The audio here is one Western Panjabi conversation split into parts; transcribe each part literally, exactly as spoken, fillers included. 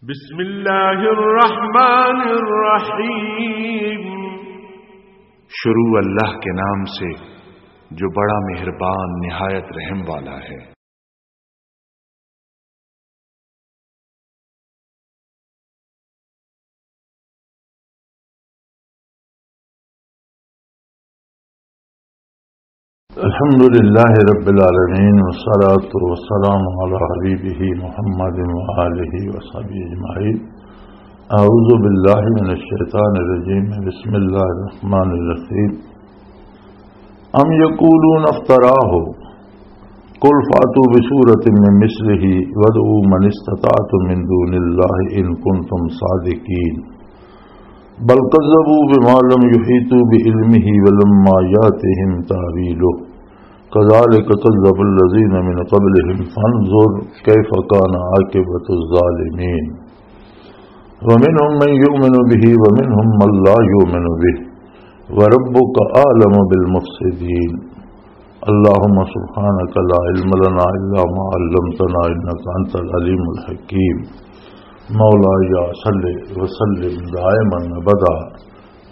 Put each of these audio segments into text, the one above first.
بسم اللہ الرحمن الرحیم۔ شروع اللہ کے نام سے، جو بڑا مہربان، نہایت رحم والا ہے۔ الحمد لله رب العالمين، والصلاة والسلام على حبيبه محمد وآله وصحبه أجمعين. أعوذ بالله من الشيطان الرجيم. بسم الله الرحمن الرحيم. أم يقولون افتراه، قل فأتوا بسورة من مثله وادعوا من استطعتم من دون الله إن كنتم صادقين. بل كذبوا بما لم يحيطوا بعلمه ولما يأتهم تأويله كذلك كذب الذين من قبلهم فانظر كيف كان عاقبة الظالمين. ومنهم من يؤمن به ومنهم من لا يؤمن به وربك أعلم بالمفسدين. اللهم سبحانك لا علم لنا إلا ما علمتنا إنك أنت العليم الحكيم. مولاي صل وسلم دائما أبدا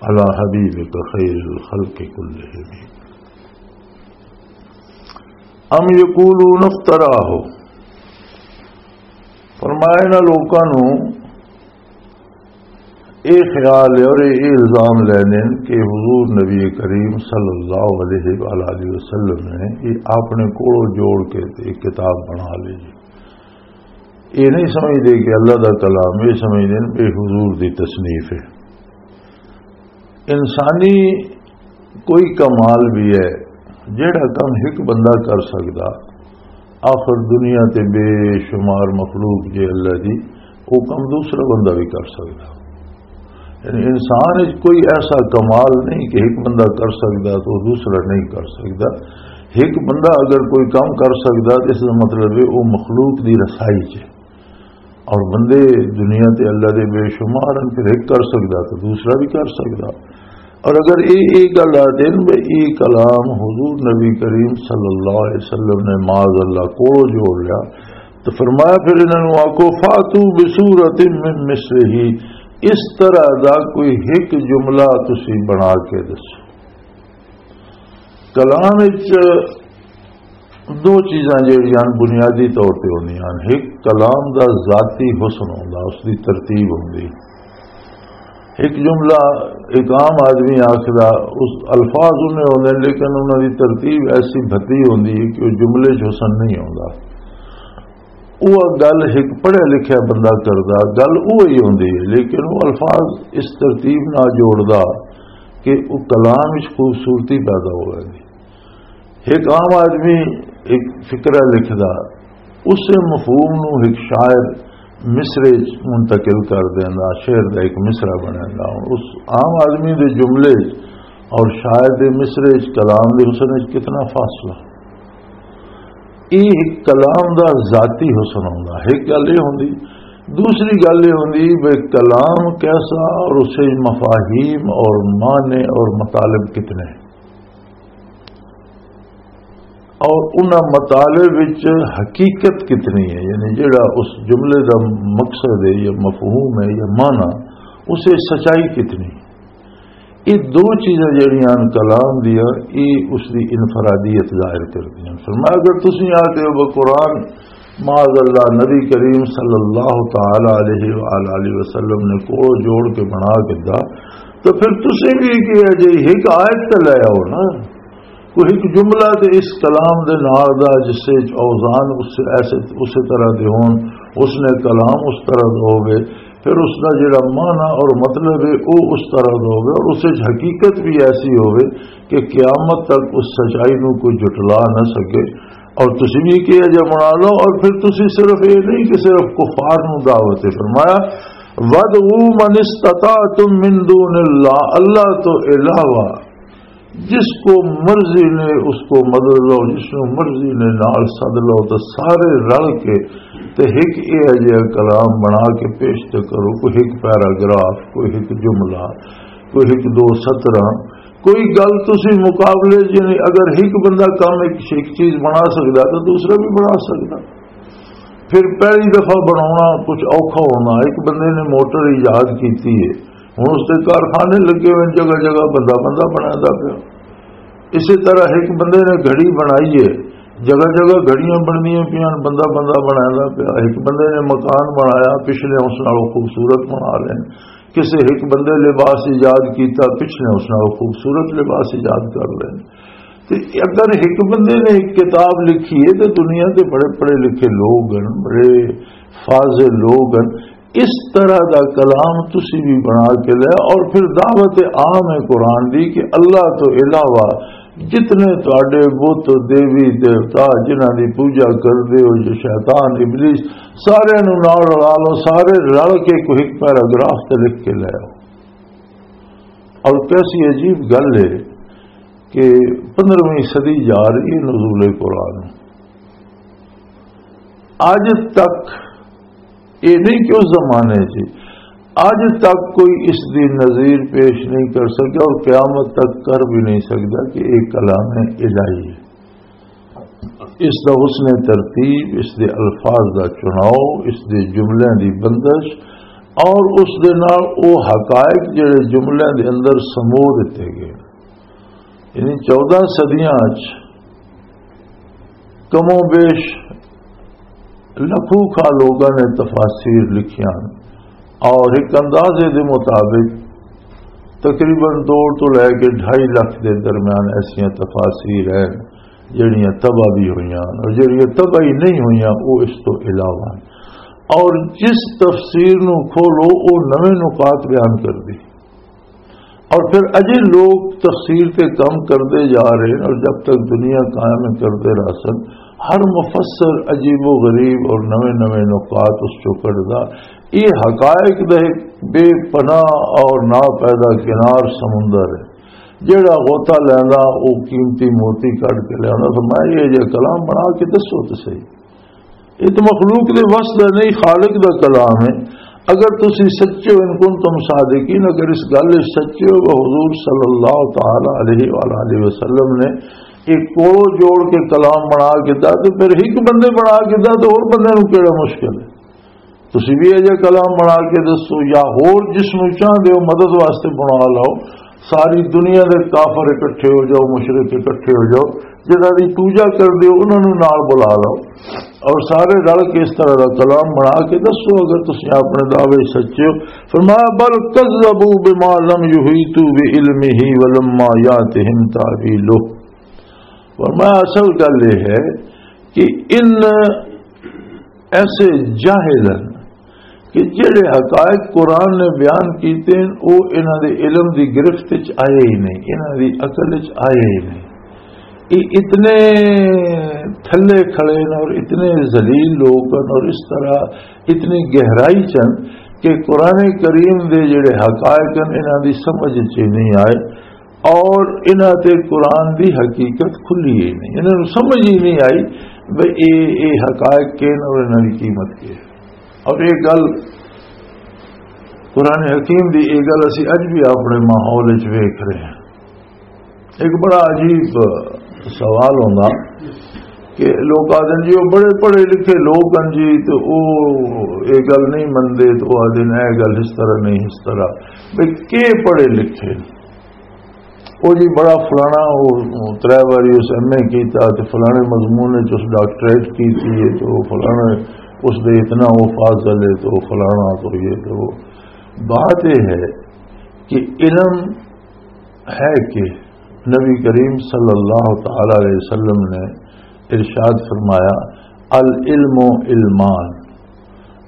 على حبيبك خير الخلق كلهم. أم يقولون افتراه. فرمایا، انہاں لوکاں نوں یہ خیال ہے اور یہ الزام لینے کہ حضور نبی کریم صلی اللہ علیہ وآلہ وسلم نے یہ اپنے کولوں جوڑ کے تے ایک کتاب بنا لی۔ یہ نہیں سمجھتے کہ اللہ دا کلام، یہ سمجھتے ہیں کہ حضور دی تصنیف ہے۔ انسانی کوئی کمال بھی ہے، جیڑا کم ایک بندہ کر سکدا، آخر دنیا تے بے شمار مخلوق جے اللہ دی، وہ کم دوسرا بندہ بھی کر سکدا۔ یعنی انسان وچ کوئی ایسا کمال نہیں کہ ایک بندہ کر سکدا تو دوسرا نہیں کر سکدا۔ ایک بندہ اگر کوئی کم کر سکدا تو اس دا مطلب ہے وہ مخلوق دی رسائی چ ہے۔ اور بندے دنیا تے اللہ دے بے شمار ہیں، پھر ایک کر سکدا تو دوسرا بھی کر سکدا۔ اور اگر اے اے گل آ دین بھئی اے کلام حضور نبی کریم صلی اللہ علیہ وسلم نے معاذ اللہ کو جوڑ لیا، تو فرمایا، پھر انہاں نوں آکھو، فاتو بسورۃ من مثلہ، اس طرح دا کوئی ایک جملہ تسی بنا کے دسو۔ کلام وچ دو چیزاں جڑیاں بنیادی طور تے ہوندیاں ہن۔ ایک کلام دا ذاتی حسن ہوندا، اس دی ترتیب ہوندی۔ ایک جملہ ایک عام آدمی آکھدا، اس الفاظ انہیں ہوندے نے، لیکن انہاں دی ترتیب ایسی بھتی ہوندی ہے کہ وہ جملے 'چ حسن نہیں ہوندا۔ وہ گل ایک پڑھیا لکھیا بندہ کردا، گل وہی ہوندی ہے، لیکن وہ الفاظ اس ترتیب نہ جوڑدا کہ وہ کلام وچ خوبصورتی پیدا ہو ویندی۔ ایک عام آدمی ایک فقرہ لکھدا، اسے مفہوم نو ایک شاعر مصرے چ منتقل کر دیندا، شعر دا ایک مصرع بنیندا۔ اس عام آدمی دے جملے چ اور شاعر دے مصرے چ، کلام دے حسن چ کتنا فاصلہ۔ یہ ایک کلام دا ذاتی حسن ہوندا۔ ایک گل یہ ہوندی، دوسری گل یہ ہوندی بھئی کلام کیسا اور اسے مفاہیم اور معنی اور مطالب کتنے۔ اور انہاں مطالب وچ حقیقت کتنی ہے، یعنی جڑا اس جملے دا مقصد ہے یا مفہوم ہے یا معنی، اسے سچائی کتنی ہے۔ یہ دو چیزاں جڑیاں ہن کلام دیاں، یہ اس دی انفرادیت ظاہر کردیاں۔ فرمایا، اگر تسی آتے ہو قرآن، معاذ اللہ، نبی کریم صلی اللہ تعالی علیہ وآلہ وسلم نے کو جوڑ کے بنا کے دا، تو پھر تسی بھی کیا جی ایک آیت تے لے آؤ نا۔ کوئی ایک جملہ تے اس کلام دے نال دا جس سے اوزان اس سے ایسے، اسی طرح دے ہون، اس نے کلام اس طرح دا ہوے، پھر اس دا جڑا معنی اور مطلب ہے، او اس طرح دا ہوے اور اس وچ حقیقت بھی ایسی ہوے کہ قیامت تک اس سچائی نو کوئی جھٹلا نہ سکے۔ اور تسی بھی کہیا جا بنا لو، اور پھر تسی صرف یہ نہیں کہ صرف کفار نو دعوت ہے۔ فرمایا، "وَادْعُوا مَنِ اسْتَطَعْتُم مِّن دُونِ اللَّهِ"، اللہ تو علاوہ جس کو مرضی نے اس کو مدد لو، جس کو مرضی نے نال سد لو، تو سارے رل کے تے ایک یہ جہا کلام بنا کے پیش تے کرو، کوئی ایک پیراگراف، کوئی ایک جملہ، کوئی ایک دو سطراں، کوئی گل تسی مقابلے، یعنی اگر ایک بندہ کم ایک، ایک چیز بنا سکدا تو دوسرا بھی بنا سکدا۔ پھر پہلی دفعہ بناونا کچھ اوکھا ہونا۔ ایک بندے نے موٹر ایجاد کیتی ہے، ہن اس دے کارخانے لگے ہوئے، جگہ جگہ بندہ بندہ بنایا پیا۔ اسی طرح ایک بندے نے گھڑی بنائی ہے، جگہ جگہ گھڑیاں بندیاں پیاں، بندہ بندہ بنایا پیا۔ ایک بندے نے مکان بنایا، پچھلے اس نالوں خوبصورت بنا لین، کسی ایک بندے لباس ایجاد کیتا، پچھلے اس نالوں خوبصورت لباس ایجاد کر لین۔ تے اگر ایک بندے نے ایک کتاب لکھی ہے، تو دنیا کے بڑے پڑھے لکھے لوگ ہیں، بڑے فاضل لوگ ہیں، اس طرح دا کلام تسی بھی بنا کے لے، اور پھر دعوت عام ہے قرآن دی کہ اللہ تو علاوہ جتنے تواڈے بت، دیوی دیوتا، جنہاں دی پوجا کردے ہو، جو شیطان، ابلیس، سارے نوں نال رلا لو، سارے رل کے کوئی ایک پیراگراف تے لکھ کے لے آؤ۔ اور کیسی عجیب گل ہے کہ پندرہویں صدی جا رہی ہے نزول قرآن۔ اج تک یہ نہیں کہ اس زمانے سے، اج تک کوئی اس دی نظیر پیش نہیں کر سکا اور قیامت تک کر بھی نہیں سکتا کہ ایک کلام الہی ہے۔ اس دا حسن ترتیب، اس دے الفاظ دا چناؤ، اس دے جملیاں دی بندش اور اس دے نال او حقائق جڑے جملیاں دے اندر سمو دتے گئے۔ یعنی چودہ صدیاں وچ کم و بیش لکھوں کھا لوگاں نے تفاسیر لکھیاں، اور ایک اندازے دے مطابق تقریباً دو تو لے کے ڈھائی لاکھ دے درمیان ایسیاں تفاسیر ہیں جڑیاں طبع بھی ہوئیاں، اور جڑیاں طبع ہی نہیں ہوئیاں وہ اس تو علاوہ ہیں۔ اور جس تفسیر نو کھولو، وہ نویں نکات بیان کر دی۔ اور پھر اجے لوگ تفسیر تے کم کردے جا رہے ہیں، اور جب تک دنیا قائم ہے کردے رہ سن۔ ہر مفسر عجیب و غریب اور نویں نویں نکات اس چوں کڈدا۔ یہ حقائق دا ایک بے پناہ اور ناپیدا کنار سمندر ہے۔ جیڑا غوطہ لیندا، وہ قیمتی موتی کڈ کے لیندا۔ فرمایا، یہ جے کلام بنا کے دسو تے صحیح۔ یہ تو مخلوق دے وس دا نہیں، خالق دا کلام ہے۔ اگر تسی سچے ہو، ان کنتم صادقین، اگر اس گل وچ سچے ہو کہ حضور صلی اللہ تعالی علیہ وآلہ وسلم نے ایک کوڑو جوڑ کے کلام بنا کے دا، تو پھر ایک بندے بنا کے دا، تو اور بندے نوں کیڑا مشکل ہے؟ تسی بھی ایجا کلام بنا کے دسو، یا ہور جس نوں چاہندے ہو مدد واسطے بنا لو۔ ساری دنیا دے کافر اکٹھے ہو جاؤ، مشرک اکٹھے ہو جاؤ، جنہاں دی پوجا کردے ہو، انہاں نوں نال بلا لو اور سارے رل کے اس طرح دا کلام بنا کے دسو، اگر تسی اپنے دعوے سچے ہو۔ فرمایا، "بل کذبوا بما لم يحيطوا بعلمه ولما يأتهم تأويله۔" فرمایا، اصل گل یہ ہے کہ ان ایسے جاہل ہیں کہ جڑے حقائق قرآن نے بیان کیتے ہیں، وہ انہاں دے علم دی گرفت وچ آئے ہی نہیں، انہاں دی عقل وچ آئے ہی نہیں۔ یہ اتنے تھلے کھڑے ہیں اور اتنے ذلیل لوگ ہیں اور اس طرح اتنی گہرائی چن کہ قرآن کریم دے جڑے حقائق ہیں، انہاں دی سمجھ وچ ہی نہیں آئے۔ اور انہاں تے قرآن دی حقیقت کھلی ہی نہیں، انہاں نوں سمجھ ہی نہیں آئی بھئی اے، اے حقائق کین اور انہاں دی قیمت کی ہے۔ اور یہ گل قرآن حکیم دی، یہ گل اسی اج بھی اپنے ماحول وچ ویکھ رہے ہیں۔ ایک بڑا عجیب سوال ہوندا کہ لوگ آدھے جی، وہ بڑے پڑھے لکھے لوگ ہیں جی، تو وہ یہ گل نہیں منتے، تو وہ آدھے اے گل اس طرح نہیں، اس طرح۔ بھئی، کے پڑھے لکھے؟ وہ جی بڑا فلانا، وہ ترے واری اس ایم اے کیتا تے فلانے مضمون وچ اس ڈاکٹریٹ کیتی ہے، تو وہ فلانا اس دے اتنا وہ فاضل ہے، تو وہ فلانا، تو یہ تو وہ۔ بات یہ ہے کہ علم ہے کہ نبی کریم صلی اللہ تعالی علیہ وسلم نے ارشاد فرمایا، "العلم علمان۔"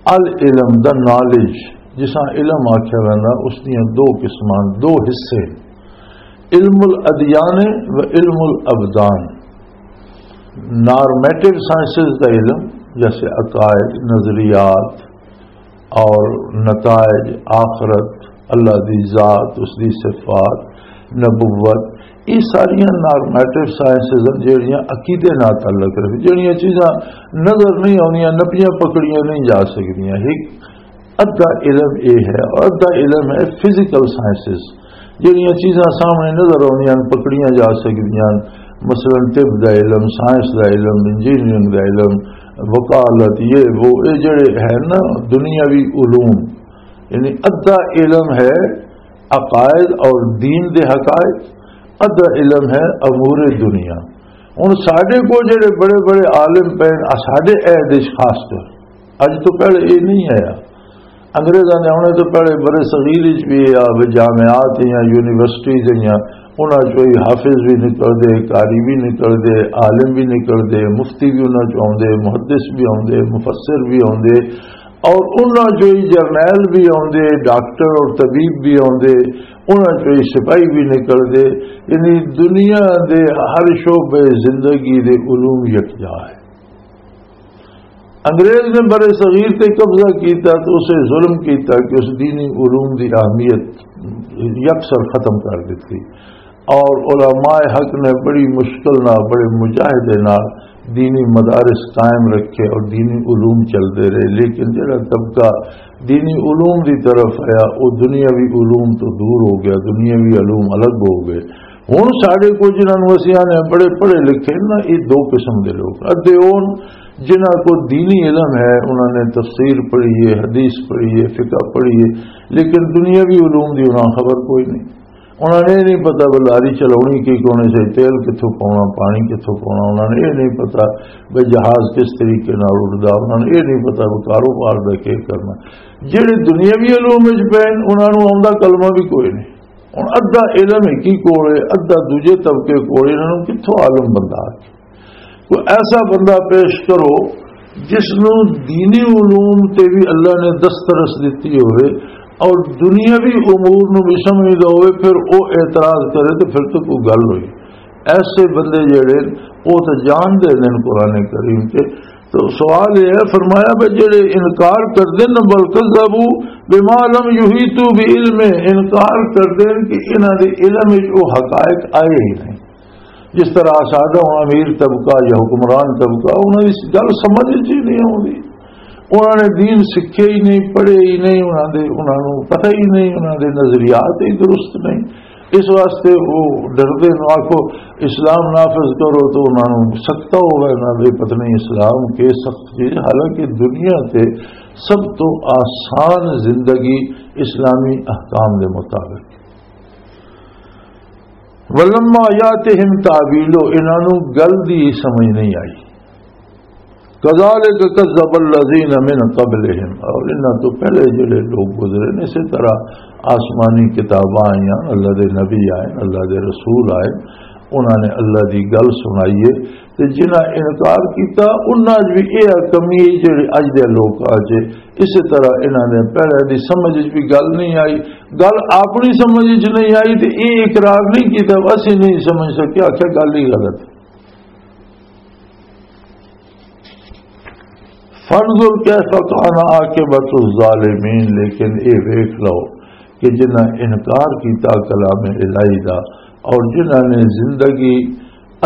العلم دا نالج، جساں علم آکھیا ویندا، اس دیاں دو قسماں، دو حصے، علم الادیان و علم الابدان۔ نارمیٹو سائنسز دا علم، جیسے عقائد، نظریات اور نتائج، آخرت، اللہ دی ذات، اس دی صفات، نبوت، یہ ساریاں نارمیٹو سائنسز ہیں، جڑیاں عقیدے نال تعلق رکھدی، جڑیاں چیزاں نظر نہیں آونیاں، نپیاں پکڑیاں نہیں جا سکدیاں۔ ایک ادھا علم یہ ہے، اور ادھا علم ہے فزیکل سائنسز، جڑیاں چیزاں سامنے نظر آونیاں، پکڑیاں جا سکدیاں، مثلاً طب دا علم، سائنس دا علم، انجینئرنگ دا علم، وکالت، یہ وہ، یہ جڑے ہیں نا دنیاوی علوم، یعنی ادھا علم ہے عقائد اور دین دے حقائق، ادھا علم ہے امور دنیا۔ ہن ساڈے کو جڑے بڑے بڑے عالم پے نے، ساڈے عہد وچ خاص طور، اج تو پہلے یہ نہیں آیا۔ انگریزاں نے آنے تو پہلے برے صغیر وچ بھی آ، جامعات یا یونیورسٹیز یا، انہاں چوں ہی حافظ بھی نکل دے، قاری بھی نکل دے، عالم بھی نکل دے، مفتی بھی انہاں چوں آوندے، محدث بھی آوندے، مفسر بھی آوندے، اور انہاں چوں ہی جرنیل بھی آوندے، ڈاکٹر اور طبیب بھی آوندے، انہاں چوں ہی سپاہی بھی نکل دے۔ یعنی دنیا دے ہر شعبے زندگی دے علوم یکجا ہے۔ انگریز نے برے صغیر تے قبضہ کیتا تو اسے ظلم کیتا کہ اس دینی علوم دی اہمیت یکسر ختم کر دتی، اور علماء حق نے بڑی مشکل نال، بڑے مجاہدے نال دینی مدارس قائم رکھے اور دینی علوم چلدے رہے۔ لیکن جڑا طبقہ دینی علوم دی طرف آیا، وہ دنیاوی علوم تو دور ہو گیا، دنیاوی علوم الگ ہو گئے۔ ہن ساڈے کو جنہاں نوں اسی آنے بڑے پڑھے لکھے نا، یہ دو قسم دے لوگ، ادھے اون جنہاں کو دینی علم ہے، انہاں نے تفسیر پڑھی ہے، حدیث پڑھی ہے، فقہ پڑھی ہے، لیکن دنیاوی علوم دی انہاں خبر کوئی نہیں۔ انہاں نے یہ نہیں پتا بھی لاری چلاونی کی کونے سے، تیل کتھوں پاؤنا، پانی کتھوں پاؤنا، انہاں نے یہ نہیں پتا بھی جہاز کس طریقے نال اڑدا، انہاں نے یہ نہیں پتا بھی کاروبار دا کی کرنا۔ جڑے دنیاوی علوم وچ پے نے، انہاں نوں آوندا کلمہ بھی کوئی نہیں۔ ہن ادھا علم ایک ہی کول ہے، ادھا دوجے طبقے کول، انہاں نوں کتھوں عالم بندہ آ؟ کوئی ایسا بندہ پیش کرو جس نوں دینی علوم تے بھی اللہ نے دسترس دتی ہوئے اور دنیاوی امور نوں بھی سمجھدا ہوئے، پھر او اعتراض کرے تے پھر تو کوئی گل ہوئی۔ ایسے بندے جڑے نے، او تے جان دے نے قرآن کریم تے۔ تو سوال یہ ہے، فرمایا بھی جڑے انکار کر دے نا، بل کذبوا بما لم یحیطوا بعلمہ، انکار کر دے کہ انہاں دے علم وچ او حقائق آئے ہی نہیں۔ جس طرح سادہ امیر طبقہ یا حکمران طبقہ، انہاں دی گل سمجھ وچ ہی نہیں آوندی، انہاں نے دین سکھے ہی نہیں، پڑھے ہی نہیں، انہاں دے، انہاں نوں پتہ ہی نہیں، انہاں دے نظریات ہی درست نہیں۔ اس واسطے وہ ڈردے نوں آکھو اسلام نافذ کرو تو انہاں نوں سکتا ہوئے انہاں دے پتہ نہیں اسلام کے سخت چیز، حالانکہ دنیا تے سب تو آسان زندگی اسلامی احکام دے مطابق۔ ولما یاتہم تاویلو، انہاں نوں گل دی سمجھ نہیں آئی۔ کذالک کذب الذین من قبلہم، اور انہاں تو پہلے جڑے لوگ گزرے نے، اسی طرح آسمانی کتاباں آئیاں، اللہ دے نبی آئے، اللہ دے رسول آئے، انہاں نے اللہ دی گل سنائی ہے، تے جنہاں انکار کیتا، انہاں وچ بھی یہ کمی ہے جڑی اج دے لوکاں وچ ہے۔ اسی طرح انہاں نے پہلے دی سمجھ وچ بھی گل نہیں آئی، گل اپنی سمجھ وچ نہیں آئی تے یہ اقرار نہیں کیتا، اسی نہیں سمجھ سکے، آکھیا گل ہی غلط۔ فانظر کیف کان عاقبۃ الظالمین، لیکن اے ویکھ لو کہ جنہاں انکار کیتا کلام الہی دا اور جنہاں نے زندگی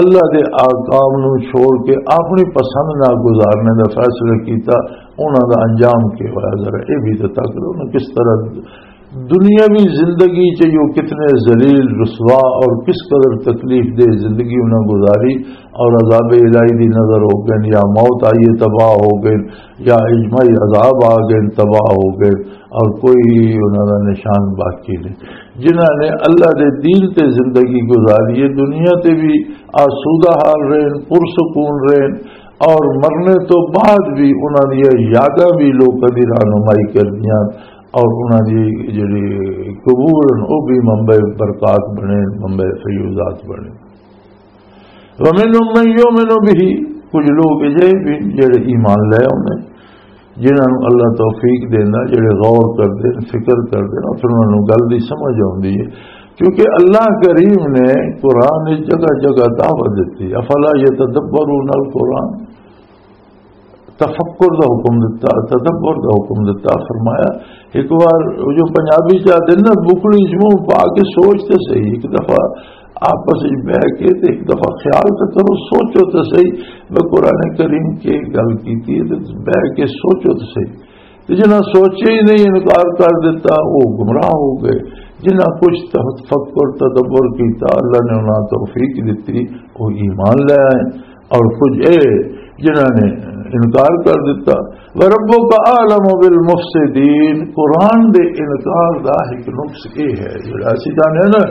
اللہ دے احکام نو چھوڑ کے اپنی پسند نال گزارنے دا فیصلہ کیتا، انہاں دا انجام کی ہویا؟ ذرا اے بھی تے تک لو نا، کس طرح دنیاوی زندگی چ یو کتنے ذلیل، رسوا اور کس قدر تکلیف دہ زندگی انہاں گزاری، اور عذاب الہی دی نظر ہو گئے، یا موت آئی ہے، تباہ ہو گئے، یا اجماعی عذاب آ گئے، تباہ ہو گئے، اور کوئی انہاں دا نشان باقی نہیں۔ جنہاں نے اللہ دے دین تے زندگی گزاری ہے، دنیا تے بھی آسودہ حال رہن، پرسکون رہن، اور مرنے تو بعد بھی انہاں دی یاداں بھی لوکاں دی رہنمائی کردیاں، اور انہاں دی جڑی قبور ہن، او بھی منبع برکات بنے، منبع فیوضات بنے۔ وَمِنْهُمْ مَنْ يُؤْمِنُ بِهِ، کچھ لوگ اجے بھی جڑے ایمان لے آوندے، جنہاں نوں اللہ توفیق دیندا، جڑے غور کردے نے، فکر کردے نے، پھر انہاں نوں گل دی سمجھ آوندی ہے۔ کیونکہ اللہ کریم نے قرآن وچ جگہ جگہ دعوت دتی، افلا یتدبرون القرآن، تفکر دا حکم دتا، تدبر دا حکم دتا۔ فرمایا، ایک بار جو پنجابی چ آدھے نا، بکلی چ منہ پا کے سوچ تے صحیح، ایک دفعہ آپس وچ بہ کے تے ایک دفعہ خیال تے کرو، سوچو تے صحیح، میں قرآن کریم کی گل کیتی ہے تے بہ کے سوچو تے صحیح۔ تے جنہاں سوچے ہی نہیں، انکار کر دیتا، وہ گمراہ ہو گئے۔ جنہاں کچھ تفکر، تدبر کیتا، اللہ نے انہاں توفیق دتی، وہ ایمان لے آئے۔ اور کچھ اے جنہاں نے انکار کر دیتا۔ وَرَبُّكَ أَعْلَمُ بِالْمُفْسِدِينَ، قرآن دے انکار دا ایک نقص اے ہے، جڑا اسی جانے نا،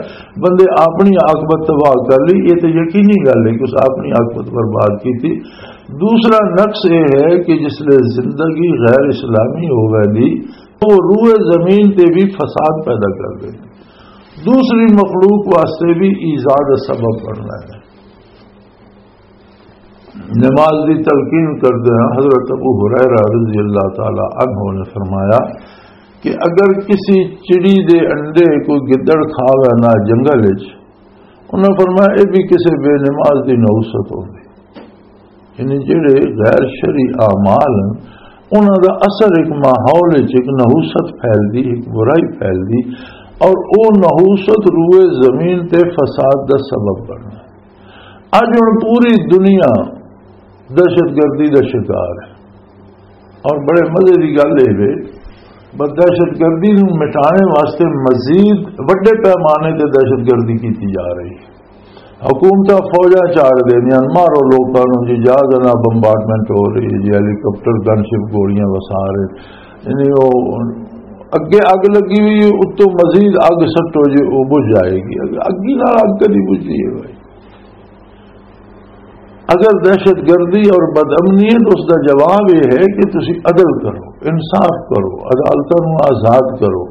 بندے اپنی عاقبت تباہ کر لی، یہ تو یقینی گل ہے کہ اس اپنی عاقبت برباد کی تھی۔ دوسرا نقص یہ ہے کہ جس لے زندگی غیر اسلامی ہو ویندی، وہ روئے زمین تے بھی فساد پیدا کر دے، دوسری مخلوق واسطے بھی ایذا دا سبب بننا ہے۔ نماز دی تلقین کردے ہیں، حضرت ابو ہریرہ رضی اللہ تعالی عنہ نے فرمایا کہ اگر کسی چڑی دے انڈے کوئی گدڑ کھا وینا جنگل وچ، انہاں فرمایا، یہ بھی کسی بے نماز دی نحوست ہوندی۔ یعنی جڑے غیر شرعی اعمال ہیں، انہاں دا اثر ایک ماحول وچ ایک نحوست پھیلدی، ایک برائی پھیلدی، اور او نحوست روئے زمین تے فساد دا سبب بننا۔ اج ہن پوری دنیا دہشت گردی دا شکار ہے، اور بڑے مزے دی گل اے وے، بس دہشت گردی نوں مٹانے واسطے مزید وڈے پیمانے تے دہشت گردی کیتی جا رہی ہے۔ حکومتاں فوجاں چاڑ دیندیاں، مارو لوکاں نوں جی، جہاز نال بمبارڈمنٹ ہو رہی ہے جی، ہیلی کاپٹر، گن شپ، گولیاں وسا رہے۔ یعنی او اگے اگ لگی ہوئی ہے، اتوں مزید اگ سٹو جی، او بجھ جائے گی۔ اگ، اگی نال اگ کدی بجھدی ہے بھائی؟ اگر دہشت گردی اور بد امنی ہے تو اس دا جواب یہ ہے کہ تسی عدل کرو، انصاف کرو، عدالتاں نوں آزاد کرو،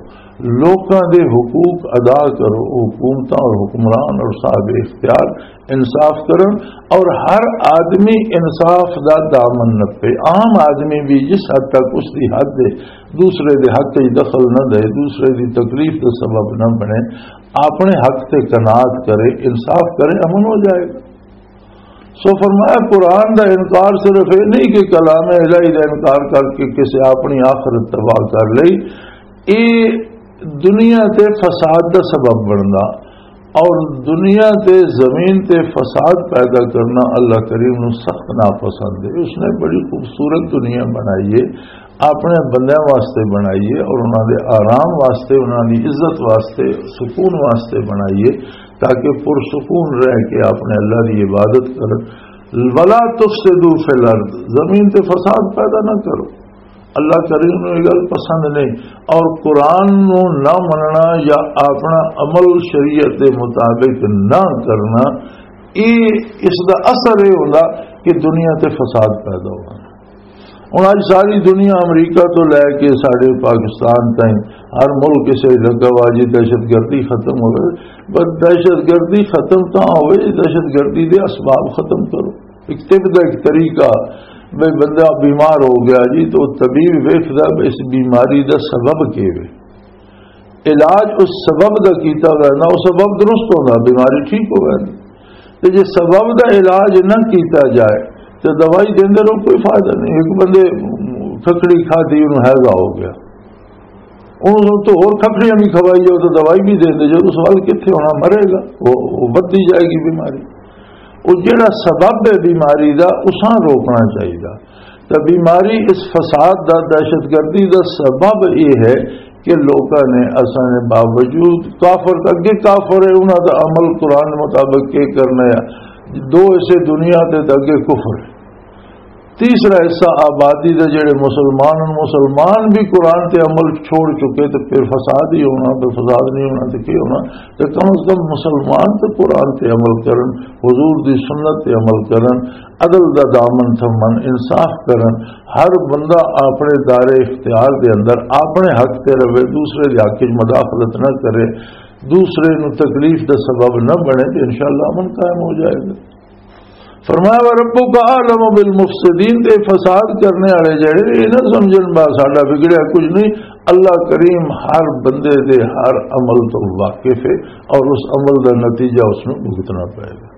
لوکاں دے حقوق ادا کرو۔ حکومتاں اور حکمران اور صاحب اختیار انصاف کرن، اور ہر آدمی انصاف دا دامن نپے۔ عام آدمی بھی جس حد تک اس دی حد ہے، دوسرے دے حق وچ دخل نہ دے، دوسرے دی تکلیف دا سبب نہ بنے، اپنے حق تے قناعت کرے، انصاف کرے، امن ہو جائے گا۔ سو فرمایا، قرآن دا انکار صرف یہ نہیں کہ کلام الہی دا انکار کر کے کسی اپنی آخرت تباہ کر لئی، یہ دنیا تے فساد دا سبب بننا، اور دنیا تے زمین تے فساد پیدا کرنا اللہ کریم نو سخت ناپسند ہے۔ اس نے بڑی خوبصورت دنیا بنائی ہے، اپنے بندیاں واسطے بنائی ہے اور انہاں دے آرام واسطے، انہاں دی عزت واسطے، سکون واسطے بنائی ہے، تاکہ پرسکون رہ کے اپنے اللہ دی عبادت کرن۔ ولا تفسدوا فی الارض، زمین تے فساد پیدا نہ کرو۔ اللہ کریم نوں یہ گل پسند نہیں، اور قرآن نوں نہ مننا یا اپنا عمل شریعت دے مطابق نہ کرنا، یہ، اس دا اثر یہ ہوندا کہ دنیا تے فساد پیدا ہونا۔ ہن اج ساری دنیا امریکہ تو لے کے ساڈے پاکستان تائیں ہر ملک اسے لگا وا جی دہشت گردی ختم ہوئے، پر دہشت گردی ختم تاں ہوئے، دہشت گردی دے اسباب ختم کرو۔ ایک طب دا ایک طریقہ، بھئی بندہ بیمار ہو گیا جی، تو طبیب ویکھدا بھی اس بیماری دا سبب کی ہے۔ علاج اس سبب دا کیتا ہویا نا، وہ سبب درست ہونا، بیماری ٹھیک ہو گئی۔ تے جے سبب دا علاج نہ کیتا جائے تے دوائی دیندے رہو، کوئی فائدہ نہیں۔ ایک بندے کھکھڑی کھادی، انہوں ہیضہ ہو گیا، انہوں تو اور کھکھڑیاں بھی کھوائی جاؤ تو دوائی بھی دیندے جاؤ، اس وقت کتھے ہونا، مرے گا، وہ، وہ ودی جائے گی بیماری۔ وہ جڑا سبب ہے بیماری دا، اساں روکنا چاہیے۔ تے بیماری اس فساد دا، دہشت گردی دا سبب یہ ہے کہ لوکاں نے، اساں نے باوجود کافر، اگے کافر ہے، انہاں دا عمل قرآن مطابق کی کرنا ہے۔ دو حصے دنیا تے، تے اگے کفر ہے۔ تیسرا حصہ آبادی دے جڑے مسلمان ہن، مسلمان بھی قرآن تے عمل چھوڑ چکے، تے پھر فساد ہی ہونا، تے فساد نہیں ہونا تے کی ہونا؟ تے کم از کم مسلمان تے قرآن تے عمل کرن، حضور دی سنت تے عمل کرن، عدل دا دامن تھمن، انصاف کرن۔ ہر بندہ اپنے دائرے اختیار دے اندر اپنے حق تے رہے، دوسرے دے حق وچ مداخلت نہ کرے، دوسرے نو تکلیف دا سبب نہ بنے، تے انشاءاللہ امن قائم ہو جائے گا۔ فرمایا، "وربک اعلم بالمفسدین"، تے فساد کرنے والے جڑے، یہ نہ سمجھن با ساڈا بگڑیا کچھ نہیں۔ اللہ کریم ہر بندے دے ہر عمل تو واقف ہے، اور اس عمل دا نتیجہ اس نوں بھگتنا پائے گا۔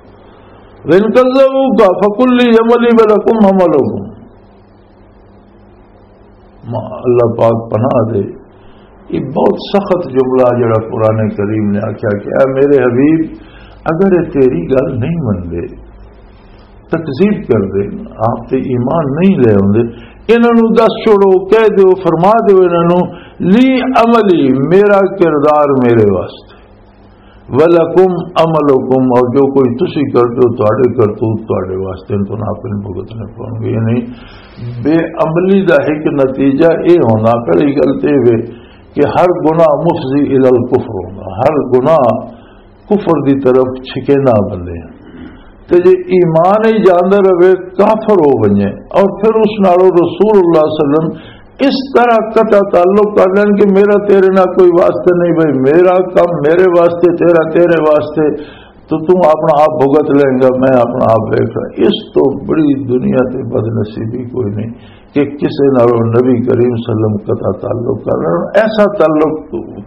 "وَإِن كَذَّبُوكَ فَقُل لِّي عَمَلِي وَلَكُمْ عَمَلُكُمْ". ما-، اللہ پاک پناہ دے، یہ بہت سخت جملہ جڑا قرآن کریم نے آخیا کہ اے میرے حبیب، اگر یہ تیری گل نہیں مندے، تکذیب کر دے، آپ تے ایمان نہیں لے آندے، انہاں نوں دس چھوڑو، کہہ دیو، فرما دیو انہاں نوں، "لی عملی"، میرا کردار میرے واسطے۔ وَلَكُمْ عَمَلُكُمْ، اور جو کوئی تسی کردے ہو، تہاڈے کرتوت تہاڈے واسطے، تہاڈے نال اپنے بھگتنے پونگے۔ یعنی بے عملی دا ایک نتیجہ اے ہونا، پہلی گل تے اے وے کہ ہر گناہ مفضی الی الکفر ہونا، ہر گناہ کفر دی طرف چھکینا بندے ہیں۔ تے جے ایمان ہی جاندا رہے، کافر ہو ونجے، اور پھر اس نالوں رسول اللہ صلی اللہ علیہ وسلم اس طرح قطع تعلق کر لین کہ میرا تیرے نال کوئی واسطہ نہیں، بھائی میرا کم میرے واسطے، تیرا تیرے واسطے، تو تم اپنا آپ بھگت لیں گا، میں اپنا آپ دیکھ رہا۔ اس تو بڑی دنیا تے بد نصیبی کوئی نہیں کہ کسے نالوں نبی کریم صلی اللہ علیہ وسلم قطع تعلق کر رہے ہیں، ایسا تعلق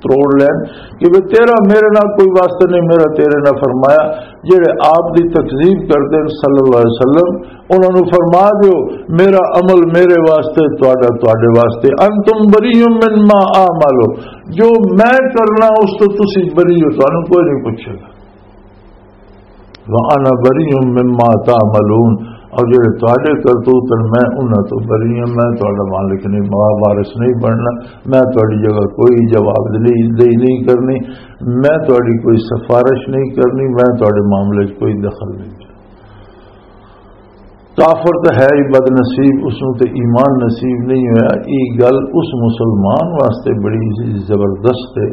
تروڑ لین کہ بھئی تیرا میرے نال کوئی واسطہ نہیں، میرا تیرے نال۔ فرمایا، جڑے آپ دی تکذیب کردے نے صلی اللہ علیہ وسلم، انہاں نوں فرما دیو، میرا عمل میرے واسطے، تہاڈا تہاڈے واسطے۔ انتم بریء مما اعمل، جو میں کرنا اس تو تسی بری ہو، تانوں کوئی نہیں پوچھے گا۔ وانا بریء مما تعملون، اور جڑے تہاڈے کرتوت ہیں، میں انہاں تو بری ہوں، میں تہاڈا مالک نہیں، وا-، وارث نہیں بننا، میں تہاڈی جگہ کوئی جواب دہی نہیں کرنی، میں تہاڈی کوئی سفارش نہیں کرنی، میں تہاڈے معاملے 'چ کوئی دخل نہیں کرنا۔ کافر تو ہے ہی بد نصیب، اس نوں تے ایمان نصیب نہیں ہویا۔ یہ گل اس مسلمان واسطے بڑی زبردست ہے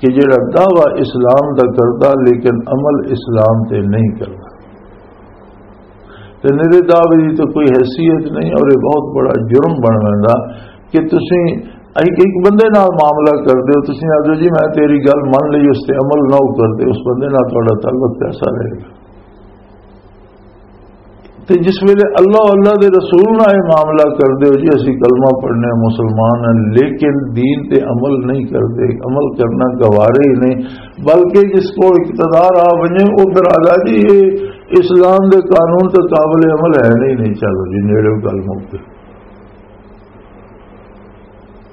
کہ جڑا دعویٰ اسلام دا کردا لیکن عمل اسلام تے نہیں کردا، تے میرے دعوے دی تو کوئی حیثیت نہیں، اور یہ بہت بڑا جرم بن ویندا کہ تسی ایک، ایک بندے نال معاملہ کردے ہو، تسی آدھو جی میں تیری گل من لئی، اس تے عمل نہ ہو کردے، اس بندے نال تہاڈا تعلق کیسا رہے گا؟ تے جس ویلے اللہ، اللہ دے رسول نال یہ معاملہ کردے ہو جی، اسی کلمہ پڑھنے، مسلمان ہیں، لیکن دین تے عمل نہیں کردے، عمل کرنا گوارے ہی نہیں، بلکہ جس کو اقتدار آ ونجے، وہ پھر آدھا جی یہ اسلام دے قانون تے قابل عمل ہے نہیں، نہیں، چلو جی نیڑے گل مک گئی۔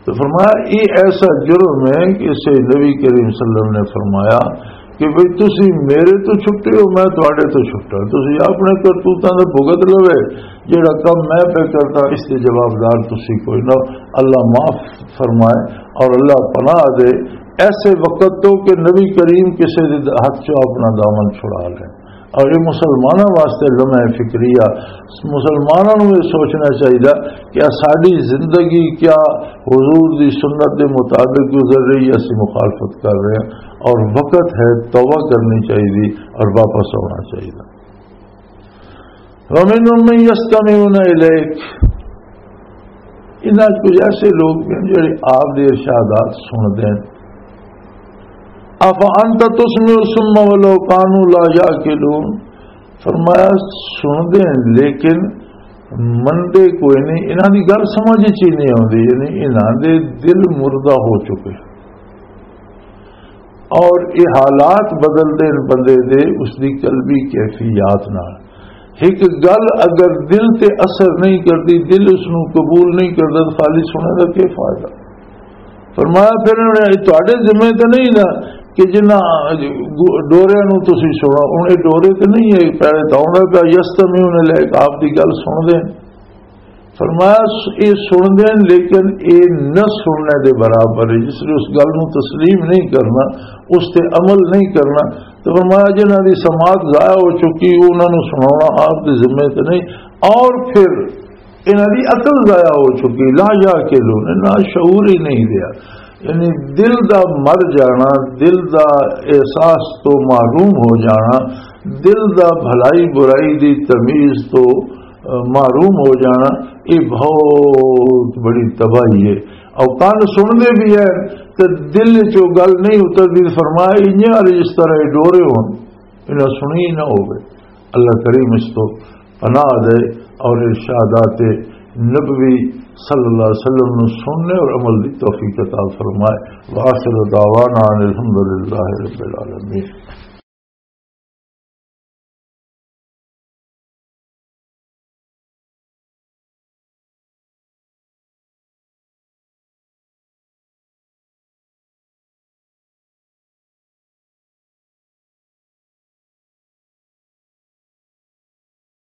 تو فرمایا، یہ ایسا جرم ہے کہ اسے نبی کریم صلی اللہ علیہ وسلم نے فرمایا کہ بھئی تسی میرے تو چھٹے ہو، میں تواڈے تو چھٹا، تسی اپنے کرتوتاں دے بھگت لوے، جڑا کم میں پہ کرتا اس دے جوابدار تسی کوئی نہ۔ اللہ معاف فرمائے اور اللہ پناہ دے ایسے وقت تو کہ نبی کریم کسے دے ہاتھ چوں اپنا دامن چھڑا لے۔ اور یہ مسلمانوں واسطے لمحہ فکریہ، مسلمانوں نوں یہ سوچنا چاہیے کہ ساری زندگی کیا حضور دی سنت دے مطابق گزر رہی ہے، اسی مخالفت کر رہے ہیں، اور وقت ہے توبہ کرنی چاہیے اور واپس آنا چاہیے۔ وَمِنْهُمْ مَنْ يَسْتَمِعُونَ إِلَيْكَ، انہاں کچھ ایسے لوگ بھی ہیں جڑے آپ دے ارشادات سن دین۔ افانت تسمع الصم ولو كانوا لا يعقلون۔ فرمایا سن دین لیکن مندے کوئی نہیں، انہاں دی گل سمجھ چ ہی نہیں آوندی، یعنی انہاں دے دل مردہ ہو چکے۔ اور یہ حالات بدلدے نے بندے دے، اس دی قلبی کیفیات نال۔ ایک گل اگر دل تے اثر نہیں کردی، دل اس نو قبول نہیں کردا، تو خالی سننے دا کی فائدہ؟ فرمایا پھر انہوں نے، تواڈے ذمے تے نہیں نا کہ جنہاں ڈوریاں نو تسی سنو، ہن یہ ڈورے تے نہیں ہے، پہلے تو آندا پیا، یستمعون الیک، آپ دی گل سن دے۔ فرمایا، س-، یہ سن دین، لیکن یہ نہ سننے دے برابر ہے، جس نے اس گل نو تسلیم نہیں کرنا، اس تے عمل نہیں کرنا۔ تو فرمایا، جنہاں دی سماعت ضائع ہو چکی، انہاں نو سناونا آپ دے ذمے تے نہیں۔ اور پھر انہاں دی عقل ضائع ہو چکی، لا یعقلون، نہ شعور ہی نہیں رہا۔ یعنی دل دا مر جانا، دل دا احساس تو محروم ہو جانا، دل دا بھلائی برائی دی تمیز تو، آ، محروم ہو جانا، یہ بہت بڑی تباہی ہے۔ اور کان سن دے بھی ہے تے دل چو گل نہیں اتردی۔ فرمایا، انہاں والے جس طرح یہ ڈورے ہون، انہاں سنی ہی نہ ہوئے۔ اللہ کریم اس تو پناہ دے اور ارشادات نبوی صلی اللہ علیہ وسلم نو سننے اور عمل دی توفیق عطا فرمائے۔ وآخر دعوانا ان الحمدللہ رب العالمین۔